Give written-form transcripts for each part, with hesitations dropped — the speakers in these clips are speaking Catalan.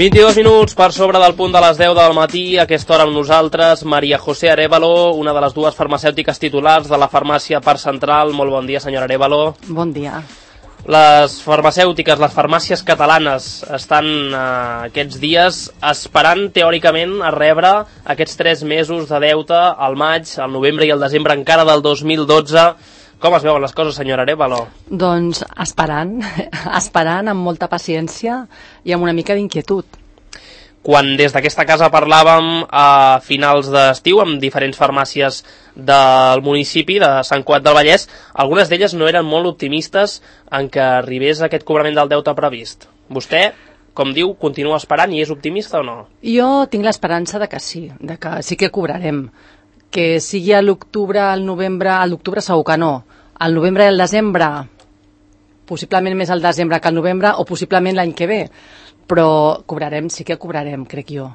22 minuts per sobre del punt de les 10 del matí, a aquesta hora amb nosaltres, María José Arévalo, una de les dues farmacèutiques titulars de la farmàcia Parc Central. Molt bon dia, senyora Arévalo. Bon dia. Les farmacèutiques, les farmàcies catalanes estan aquests dies esperant teòricament a rebre aquests 3 mesos de deute al maig, al novembre i al desembre encara del 2012. Com es veuen les coses, senyora Arévalo? Doncs esperant amb molta paciència i amb una mica d'inquietud. Quan des d'aquesta casa parlàvem a finals d'estiu amb diferents farmàcies del municipi de Sant Cugat del Vallès, algunes d'elles no eren molt optimistes en que arribés aquest cobrament del deute previst. Vostè, com diu, continua esperant i és optimista o no? Jo tinc l'esperança de que sí que cobrarem. Que sigui a l'octubre, al novembre, a l'octubre segur que no. Al novembre i al desembre, possiblement més al desembre que al novembre, o possiblement l'any que ve. Però cobrarem, sí que cobrarem, crec jo.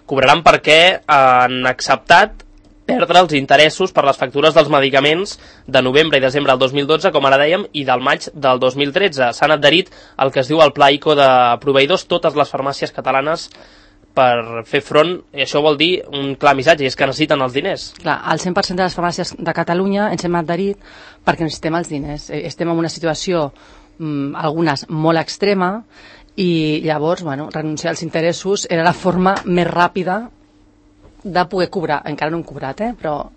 Cobraran perquè han acceptat perdre els interessos per les factures dels medicaments de novembre i desembre del 2012, com ara dèiem, i del maig del 2013. S'han adherit al que es diu el Pla ICO de proveïdors, totes les farmàcies catalanes, per fer front, i això vol dir un clar missatge, i és que necessiten els diners. Clar, el 100% de les farmàcies de Catalunya ens hem adherit perquè necessitem els diners. Estem en una situació, algunes, molt extrema, i llavors, renunciar als interessos era la forma més ràpida de poder cobrar. Encara no hem cobrat, però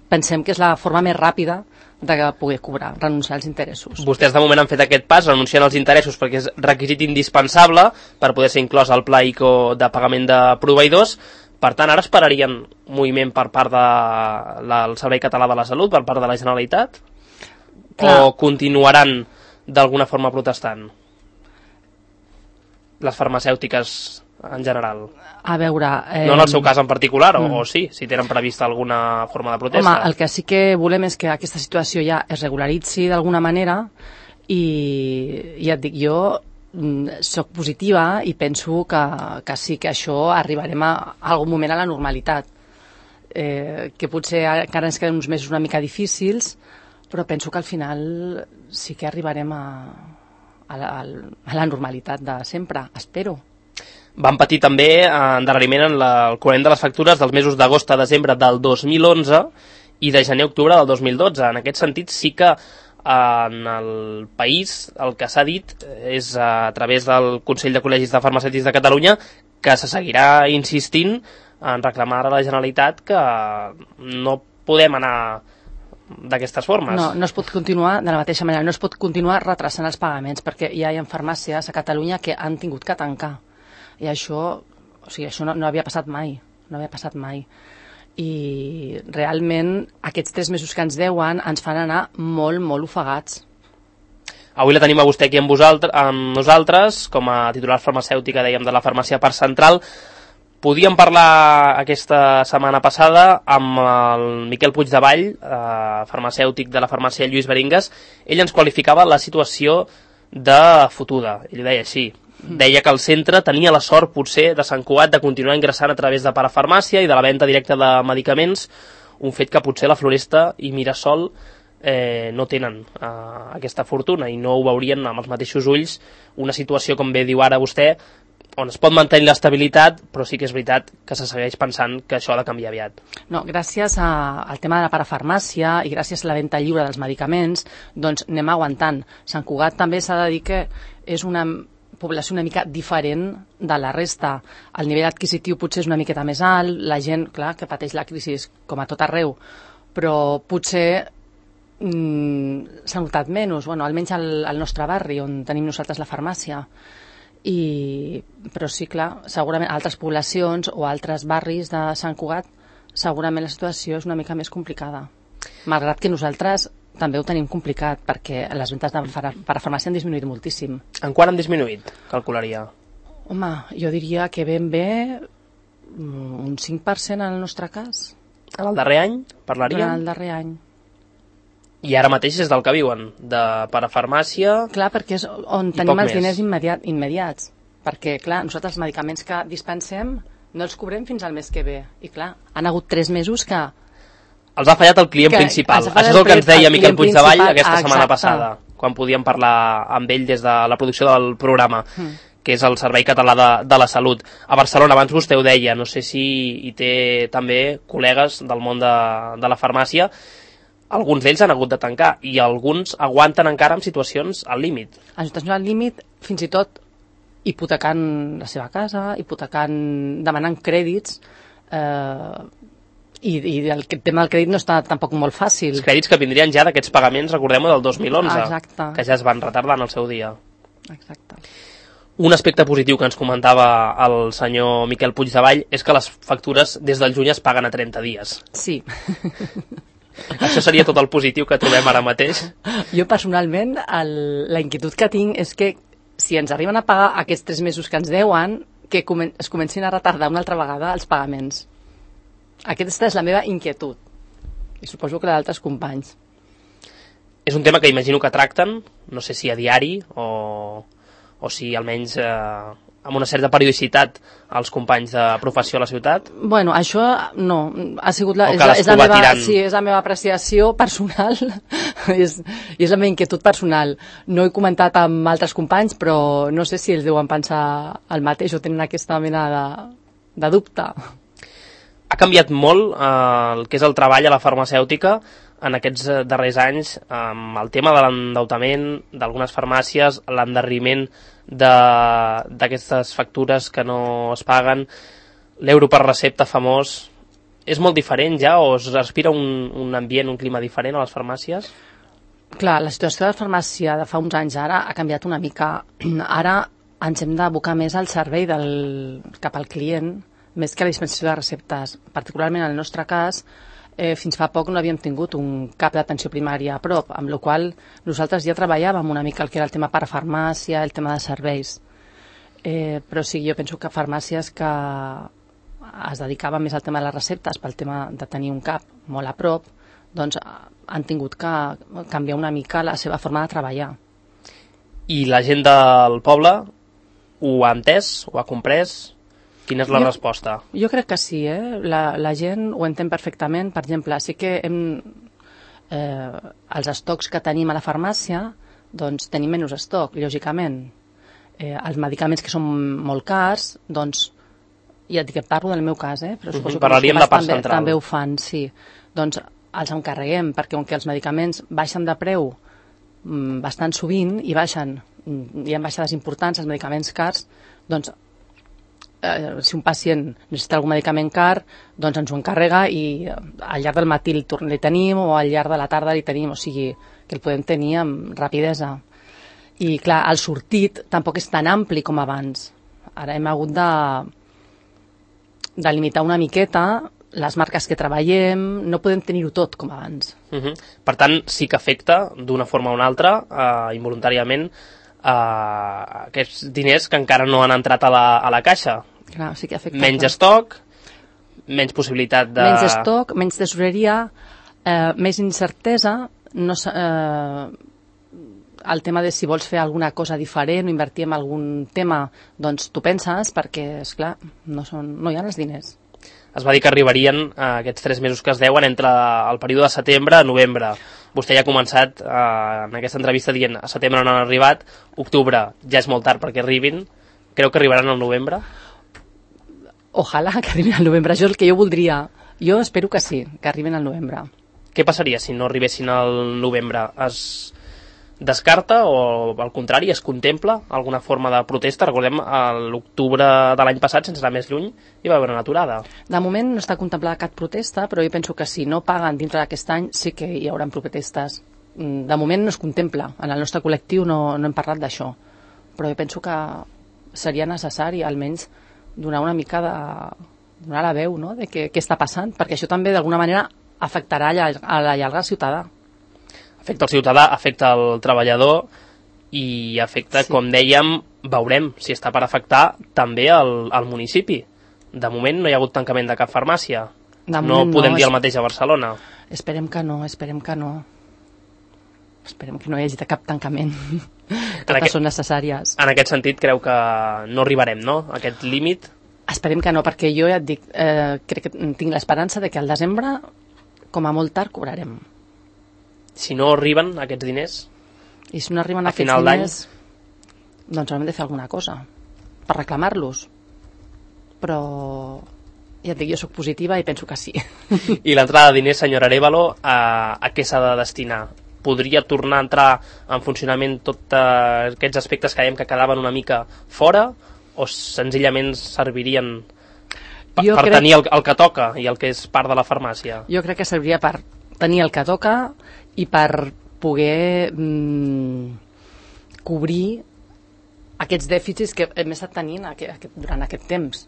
pensem que és la forma més ràpida de poder cobrar, renunciar als interessos. Vostès de moment han fet aquest pas, renunciant als interessos, perquè és requisit indispensable per poder ser inclòs al Pla ICO de pagament de proveïdors. Per tant, ara esperarien moviment per part del Servei Català de la Salut, per part de la Generalitat? Clar. O continuaran d'alguna forma protestant? Les farmacèutiques en general. A veure... No en el seu cas en particular, o sí, si tenen prevista alguna forma de protesta. Home, el que sí que volem és que aquesta situació ja es regularitzi d'alguna manera i ja et dic, jo soc positiva i penso que sí, que això arribarem a algun moment a la normalitat. Que potser encara ens queden uns mesos una mica difícils, però penso que al final sí que arribarem a la normalitat de sempre, espero. Van patir també endarreriment en el cobrament de les factures dels mesos d'agost a desembre del 2011 i de gener a octubre del 2012. En aquest sentit, sí que en el país el que s'ha dit és a través del Consell de Col·legis de Farmacèutics de Catalunya que se seguirà insistint en reclamar a la Generalitat que no podem anar d'aquestes formes. No es pot continuar de la mateixa manera, no es pot continuar retrasant els pagaments, perquè ja hi ha farmàcies a Catalunya que han tingut que tancar. I això no havia passat mai, I realment aquests 3 mesos que ens deuen ens fan anar molt, molt ofegats. Avui la tenim a vostè aquí amb nosaltres, com a titular farmacèutica, dèiem, de la farmàcia Parc Central. Podíem parlar aquesta setmana passada amb el Miquel Puigdevall, farmacèutic de la farmàcia Lluís Beringues. Ell ens qualificava la situació de fotuda, ell deia així. Deia que el centre tenia la sort, potser, de Sant Cugat de continuar ingressant a través de parafarmàcia i de la venda directa de medicaments, un fet que potser la Floresta i Mirasol no tenen aquesta fortuna i no ho veurien amb els mateixos ulls, una situació, com bé diu ara vostè, on es pot mantenir l'estabilitat, però sí que és veritat que se segueix pensant que això ha de canviar aviat. No, gràcies al tema de la parafarmàcia i gràcies a la venda lliure dels medicaments, doncs anem aguantant. Sant Cugat també s'ha de dir que és una població una mica diferent de la resta. El nivell adquisitiu potser és una miqueta més alt, la gent, clar, que pateix la crisi com a tot arreu, però potser s'ha notat menys, almenys al nostre barri, on tenim nosaltres la farmàcia. Però sí, clar, segurament altres poblacions o altres barris de Sant Cugat, segurament la situació és una mica més complicada. Malgrat que nosaltres també ho tenim complicat, perquè les ventes de parafarmàcia han disminuït moltíssim. En quant han disminuït, calcularia? Home, jo diria que ben bé un 5% en el nostre cas. En el darrer any, parlaríem? En el darrer any. I ara mateix és del que viuen, de parafarmàcia. Clar, perquè és on tenim els diners immediats. Perquè, clar, nosaltres els medicaments que dispensem no els cobrem fins al mes que ve. I, clar, han hagut 3 mesos que els ha fallat el client principal. Això és el que ens deia Miquel Puigdevall aquesta setmana passada, quan podíem parlar amb ell des de la producció del programa. que és el Servei Català de la Salut. A Barcelona, abans vostè ho deia, no sé si hi té també col·legues del món de la farmàcia, alguns d'ells han hagut de tancar i alguns aguanten encara en situacions al límit. En situacions al límit, fins i tot hipotecant la seva casa, demanant crèdits, i el tema del crèdit no està tampoc molt fàcil. Els crèdits que vindrien ja d'aquests pagaments, recordem-ho, del 2011, exacte, que ja es van retardar en el seu dia. Exacte. Un aspecte positiu que ens comentava el senyor Miquel Puigdevall és que les factures des del juny es paguen a 30 dies. Sí. Això seria tot el positiu que trobem ara mateix? Jo personalment, la inquietud que tinc és que si ens arriben a pagar aquests 3 mesos que ens deuen, que es comencin a retardar una altra vegada els pagaments. Aquesta és la meva inquietud. I suposo que la d'altres companys. És un tema que imagino que tracten, no sé si a diari o si almenys amb una certa periodicitat als companys de professió a la ciutat. Bueno, això no. Ha sigut és la meva apreciació personal i és la meva inquietud personal. No he comentat amb altres companys, però no sé si ells deuen pensar el mateix o tenen aquesta mena de dubte. Ha canviat molt el que és el treball a la farmacèutica en aquests darrers anys, amb el tema de l'endeutament d'algunes farmàcies, l'endarreriment d'aquestes factures que no es paguen, l'euro per recepta famós. És molt diferent ja o es respira un ambient, un clima diferent a les farmàcies? Clar, la situació de la farmàcia de fa uns anys ara ha canviat una mica. Ara ens hem d'abocar més al servei cap al client, més que la dispensació de receptes. Particularment en el nostre cas, fins fa poc no havíem tingut un cap d'atenció primària a prop, amb la qual nosaltres ja treballàvem una mica el que era el tema per farmàcia, el tema de serveis. Però sí, jo penso que farmàcies que es dedicaven més al tema de les receptes, pel tema de tenir un cap molt a prop, doncs han tingut que canviar una mica la seva forma de treballar. I la gent del poble ho ha entès, ho ha comprès? Quina és la resposta? Jo crec que sí, la gent ho entén perfectament. Per exemple, sí que els estocs que tenim a la farmàcia, doncs tenim menys estoc, lògicament. Els medicaments que són molt cars, doncs, ja et dic que parlo del meu cas, però suposo que els companys també ho fan, sí. Doncs els encarreguem, perquè com que els medicaments baixen de preu bastant sovint i hi ha baixades importants, els medicaments cars, doncs si un pacient necessita algun medicament car, doncs ens ho encarrega i al llarg del matí li tenim o al llarg de la tarda li tenim, o sigui que el podem tenir amb rapidesa. I clar, el sortit tampoc és tan ampli com abans. Ara hem hagut de limitar una miqueta les marques que treballem, no podem tenir-ho tot com abans. Per tant, sí que afecta d'una forma o una altra, involuntàriament, aquests diners que encara no han entrat a la caixa. Clar, sí que afecta. Menys estoc, menys possibilitat de... Menys estoc, menys tesoreria, més incertesa, el tema de si vols fer alguna cosa diferent o invertir en algun tema, doncs tu penses, perquè, esclar, no hi ha els diners. Es va dir que arribarien aquests 3 mesos que es deuen entre el període de setembre a novembre. Vostè ja ha començat en aquesta entrevista dient a setembre no han arribat, octubre ja és molt tard perquè arribin. Creu que arribaran al novembre? Ojalà que arribin al novembre, això és el que jo voldria. Jo espero que sí, que arribin al novembre. Què passaria si no arribessin al novembre? Es descarta o al contrari es contempla alguna forma de protesta? Recordem l'octubre de l'any passat, sense anar més lluny, hi va haver una aturada. De moment no està contemplada cap protesta, però jo penso que si no paguen dintre d'aquest any sí que hi haurà protestes. De moment no es contempla, en el nostre col·lectiu no hem parlat d'això, però jo penso que seria necessari almenys donar una mica donar la veu, no?, de què està passant, perquè això també d'alguna manera afectarà a la llarga al ciutadà. Afecta el ciutadà, afecta el treballador i afecta, sí, com dèiem, veurem si està per afectar també el municipi. De moment no hi ha hagut tancament de cap farmàcia. No podem dir el mateix a Barcelona. Esperem que no. Esperem que no hi hagi cap tancament. Totes són necessàries. En aquest sentit, creu que no arribarem, no?, a aquest límit? Esperem que no, perquè jo ja et dic, crec que tinc l'esperança de que al desembre, com a molt tard, cobrarem. Si no arriben aquests diners? I si no arriben aquests diners, doncs haurem de fer alguna cosa. per reclamar-los. Però ja et dic, jo soc positiva i penso que sí. I l'entrada de diners, senyora Arévalo, a què s'ha de destinar? Podria tornar a entrar en funcionament tots aquests aspectes que dèiem que quedaven una mica fora, o senzillament servirien per tenir el que toca i el que és part de la farmàcia? Jo crec que serviria per tenir el que toca i per poder cobrir aquests dèficits que hem estat tenint durant aquest temps.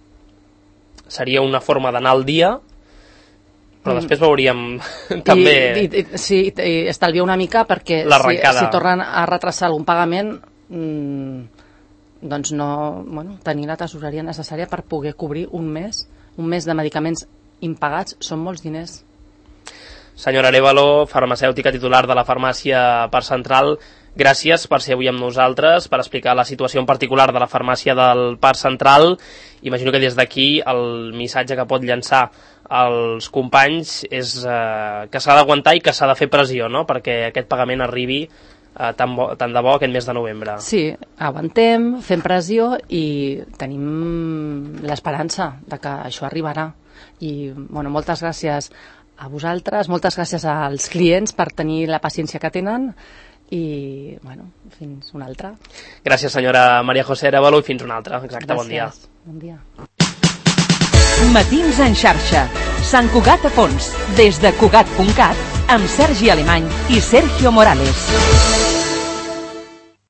Seria una forma d'anar al dia, però després veuríem també... Sí, i estalviar una mica perquè si tornen a retrasar algun pagament, doncs no, tenir la tesoreria necessària per poder cobrir un mes de medicaments impagats són molts diners. Senyora Arévalo, farmacèutica titular de la farmàcia Parc Central, gràcies per ser avui amb nosaltres, per explicar la situació en particular de la farmàcia del Parc Central. Imagino que des d'aquí el missatge que pot llançar als companys és que s'ha d'aguantar i que s'ha de fer pressió, no?, perquè aquest pagament arribi tant de bo aquest mes de novembre. Sí, aguantem, fem pressió i tenim l'esperança de que això arribarà. I moltes gràcies a vosaltres, moltes gràcies als clients per tenir la paciència que tenen i fins una altra. Gràcies, senyora Maria José Arévalo, i fins una altra. Exacte, bon dia. Bon dia. Matins en xarxa. Sant Cugat a fons. Des de Cugat.cat amb Sergi Alemany i Sergio Morales.